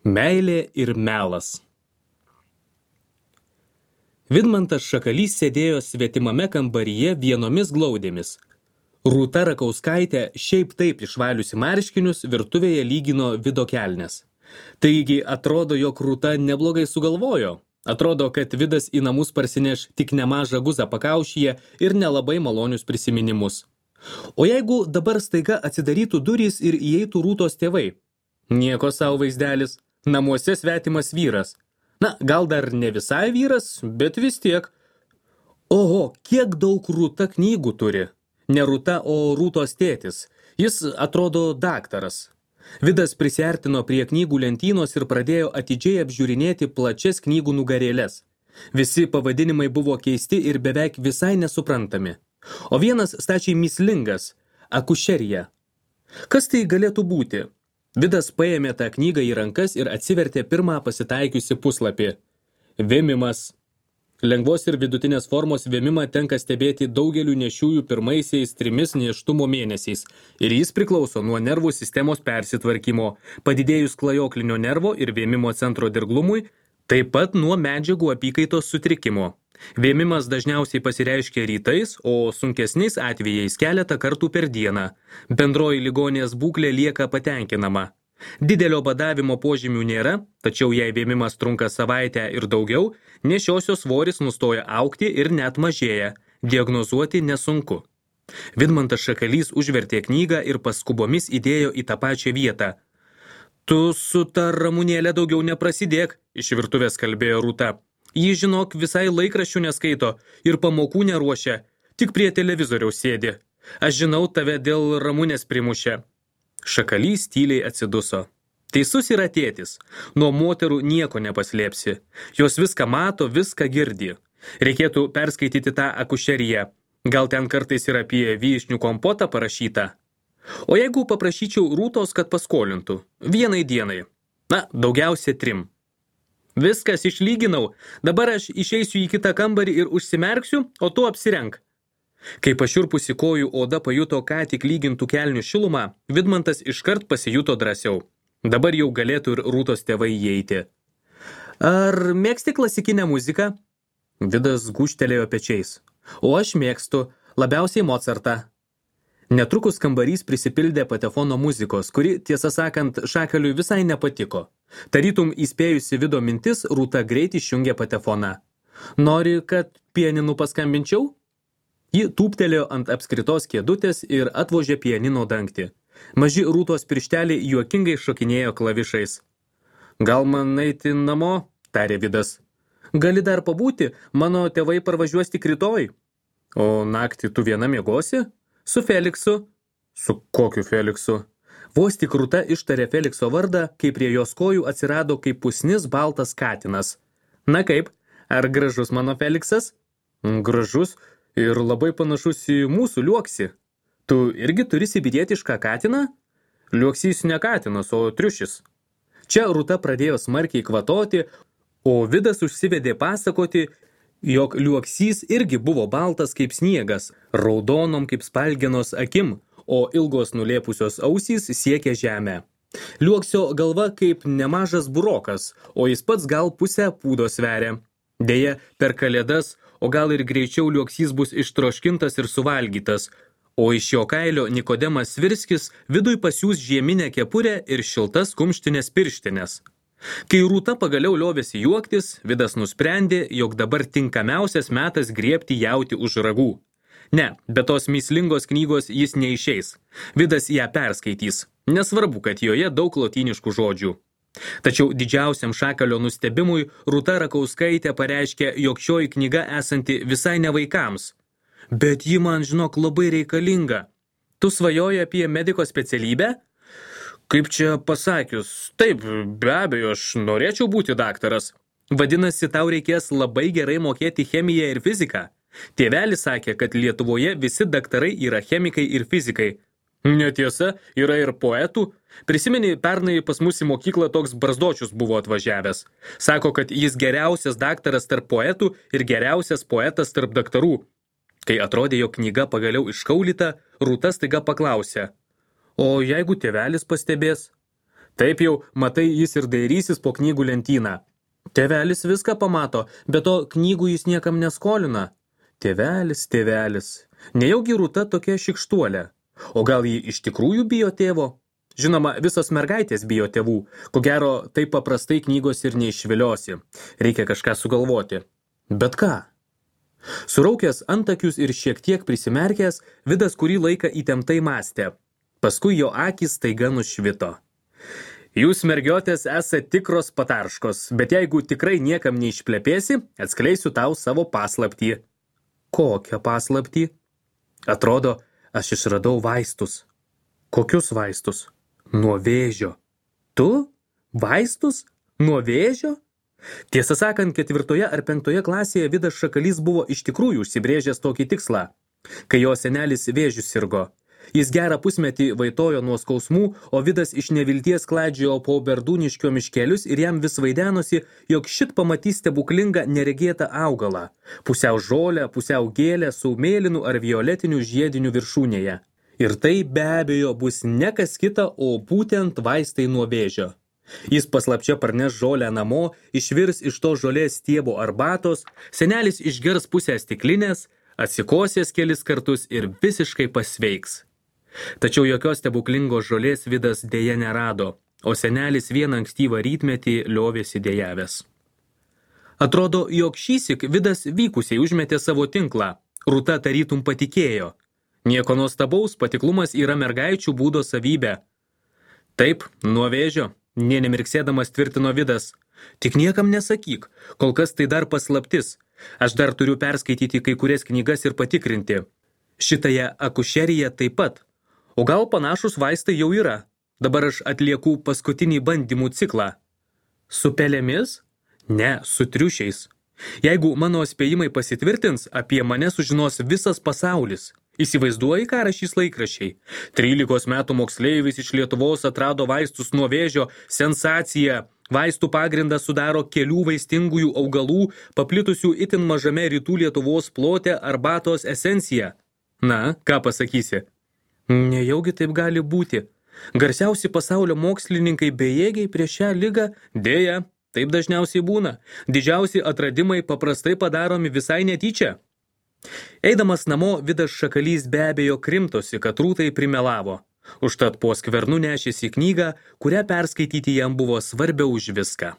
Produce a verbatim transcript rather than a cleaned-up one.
Meilė ir melas. Vidmantas Šakalys sėdėjo svetimame kambaryje vienomis glaudėmis. Rūta Rakauskaitė šiaip taip išvaliusi marškinius virtuvėje lygino Vido kelnes. Taigi atrodo, jog Rūta neblogai sugalvojo. Atrodo, kad Vidas į namus parsineš tik nemažą guzą pakaušyje ir nelabai malonius prisiminimus. O jeigu dabar staiga atsidarytų durys ir įeitų Rūtos tėvai? Nieko savo vaizdelis. Namuose svetimas vyras. Na, gal dar ne visai vyras, bet vis tiek. Oho, kiek daug Rūta knygų turi. Ne Rūta, o Rūtos tėtis. Jis atrodo daktaras. Vidas prisiartino prie knygų lentynos ir pradėjo atidžiai apžiūrinėti plačias knygų nugarėles. Visi pavadinimai buvo keisti ir beveik visai nesuprantami. O vienas stačiai mįslingas – akušerija. Kas tai galėtų būti? Vidas paėmė tą knygą į rankas ir atsivertė pirmą pasitaikiusi puslapį. Vėmimas. Lengvos ir vidutinės formos vėmimą tenka stebėti daugeliu nešiųjų pirmaisiais trimis nėštumo mėnesiais ir jis priklauso nuo nervų sistemos persitvarkymo, padidėjus klajoklinio nervo ir vėmimo centro dirglumui, taip pat nuo medžiagų apykaitos sutrikimo. Vėmimas dažniausiai pasireiškia rytais, o sunkesniais atvejais keletą kartų per dieną. Bendroji ligonės būklė lieka patenkinama. Didelio badavimo požymių nėra, tačiau jei vėmimas trunka savaitę ir daugiau, nešiosios svoris nustoja augti ir net mažėja. Diagnozuoti nesunku. Vidmantas Šakalys užvertė knygą ir paskubomis įdėjo į tą pačią vietą. Tu su ta Ramunėlė daugiau neprasidėk, iš virtuvės kalbėjo Rūta. Ji, žinok, visai laikraščių neskaito ir pamokų neruošia, tik prie televizoriaus sėdi. Aš žinau, tave dėl Ramunės primušė. Šakalys tyliai atsiduso. Teisus yra tėtis. Nuo moterų nieko nepaslėpsi. Jos viską mato, viską girdi. Reikėtų perskaityti tą akušeriją. Gal ten kartais ir apie vyšnių kompotą parašyta. O jeigu paprašyčiau Rūtos, kad paskolintų? Vienai dienai. Na, daugiausia trim. Viskas išlyginau, dabar aš išeisiu į kitą kambarį ir užsimerksiu, o tu apsirenk. Kai pašiurpusi kojų oda pajuto ką tik lygintų kelnių šilumą, Vidmantas iškart pasijuto drąsiau. Dabar jau galėtų ir Rūtos tėvai įeiti. Ar mėgsti klasikinę muziką? Vidas gūžtelėjo pečiais. O aš mėgstu, labiausiai Mozartą. Netrukus kambarys prisipildė patefono muzikos, kuri, tiesą sakant, Šakaliui visai nepatiko. Tarytum įspėjusi Vido mintis, Rūta greit išjungė patefoną. Nori, kad pianinu paskambinčiau? Ji tūptelėjo ant apskritos kėdutės ir atvožė pianino dangtį. Maži Rūtos piršteliai juokingai šokinėjo klavišais. Gal man eiti namo? Tarė Vidas. Gali dar pabūti, mano tėvai parvažiuos tik rytoj. O naktį tu viena miegosi? Su Feliksu. Su kokiu Feliksu? Vos tik Rūta ištarė Felikso vardą, kai prie jos kojų atsirado kaip pusnis baltas katinas. Na kaip, ar gražus mano Feliksas? Gražus ir labai panašus į mūsų liuoksį. Tu irgi turi sibirietišką katiną? Liuoksys ne katinas, o triušis. Čia Rūta pradėjo smarkiai kvatoti, o Vidas užsivedė pasakoti, jog liuoksys irgi buvo baltas kaip sniegas, raudonom kaip spalgenos akim, o ilgos nulėpusios ausys siekia žemę. Liuoksio galva kaip nemažas burokas, o jis pats gal pusę pūdo sveria. Deja, per kalėdas, o gal ir greičiau liuoksys bus ištroškintas ir suvalgytas, o iš jo kailio Nikodemas Svirskis viduj pasiūs žieminę kepurę ir šiltas kumštinės pirštinės. Kai Rūta pagaliau liovėsi juoktis, Vidas nusprendė, jog dabar tinkamiausias metas griebti jauti už ragų. Ne, be tos mįslingos knygos jis neišeis. Vidas ją perskaitys. Nesvarbu, kad joje daug lotyniškų žodžių. Tačiau didžiausiam Šakalio nustebimui Rūta Rakauskaitė pareiškė, jog šioji knyga esanti visai ne vaikams. Bet ji man, žinok, labai reikalinga. Tu svajoji apie mediko specialybę? Kaip čia pasakius, taip, be abejo, aš norėčiau būti daktaras. Vadinasi, tau reikės labai gerai mokėti chemiją ir fiziką. Tėvelis sakė, kad Lietuvoje visi daktarai yra chemikai ir fizikai. Netiesa, yra ir poetų. Prisimeni, pernai pas mus į mokyklą toks Barzdočius buvo atvažiavęs. Sako, kad jis geriausias daktaras tarp poetų ir geriausias poetas tarp daktarų. Kai atrodė, jo knyga pagaliau iškaulyta, Rūta staiga paklausė. O jeigu tėvelis pastebės? Taip jau, matai, jis ir dairysis po knygų lentyną. Tėvelis viską pamato, bet to knygų jis niekam neskolina. Tėvelis, tėvelis. Nejaugi Rūta tokia šikštuolė. O gal ji iš tikrųjų bijo tėvo? Žinoma, visos mergaitės bijo tėvų. Ko gero, taip paprastai knygos ir neišviliosi. Reikia kažką sugalvoti. Bet ką? Suraukęs antakius ir šiek tiek prisimerkęs, Vidas kurį laiką įtemptai mąstė. Paskui jo akys staiga nušvito. Jūs, mergiotės, esate tikros patarškos, bet jeigu tikrai niekam neišplepėsi, atskleisiu tau savo paslaptį. Kokią paslaptį? Atrodo, aš išradau vaistus. Kokius vaistus? Nuo vėžio. Tu? Vaistus? Nuo vėžio? Tiesą sakant, ketvirtoje ar penktoje klasėje Vidas Šakalys buvo iš tikrųjų užsibrėžęs tokį tikslą, kai jo senelis vėžiu sirgo. Jis gerą pusmetį vaitojo nuo skausmų, o Vidas iš nevilties klaidžiojo po Berdūniškio miškelius ir jam vis vaidenosi, jog šit pamatys stebuklingą neregėtą augalą, pusiau žolę, pusiau gėlę su mėlynu ar violetiniu žiediniu viršūnėje. Ir tai be abejo bus ne kas kita, o būtent vaistai nuo vėžio. Jis paslapčia parneš žolę namo, išvirs iš to žolės stiebo arbatos, senelis išgers pusę stiklinės, atsikosės kelis kartus ir visiškai pasveiks. Tačiau jokios stebuklingos žolės Vidas dėja nerado, o senelis vieną ankstyvą rytmetį liovėsi dejavęs. Atrodo, jog šįsyk Vidas vykusiai užmetė savo tinklą. Rūta tarytum patikėjo. Nieko nuostabaus, patiklumas yra mergaičių būdo savybė. Taip, nuo vėžio, nė nemirksėdamas tvirtino Vidas. Tik niekam nesakyk, kol kas tai dar paslaptis. Aš dar turiu perskaityti kai kurias knygas ir patikrinti. Šitąją akušeriją taip pat. O gal panašus vaistai jau yra. Dabar aš atlieku paskutinį bandymų ciklą. Su pelėmis? Ne, su triušiais. Jeigu mano spėjimai pasitvirtins, apie mane sužinos visas pasaulis. Įsivaizduoji, ką rašys laikraščiai. Trylikos metų moksleivis iš Lietuvos atrado vaistus nuo vėžio. Sensacija. Vaistų pagrindą sudaro kelių vaistingųjų augalų, paplitusių itin mažame rytų Lietuvos plote arbatos esencija. Na, ką pasakysi? Nejaugi taip gali būti. Garsiausi pasaulio mokslininkai bejėgiai prieš šią ligą? Dėja, taip dažniausiai būna. Didžiausi atradimai paprastai padaromi visai netyčia. Eidamas namo, Vidas Šakalys be abejo krimtosi, kad Rūtai primelavo. Užtat po skvernu nešėsi knygą, kurią perskaityti jam buvo svarbiau už viską.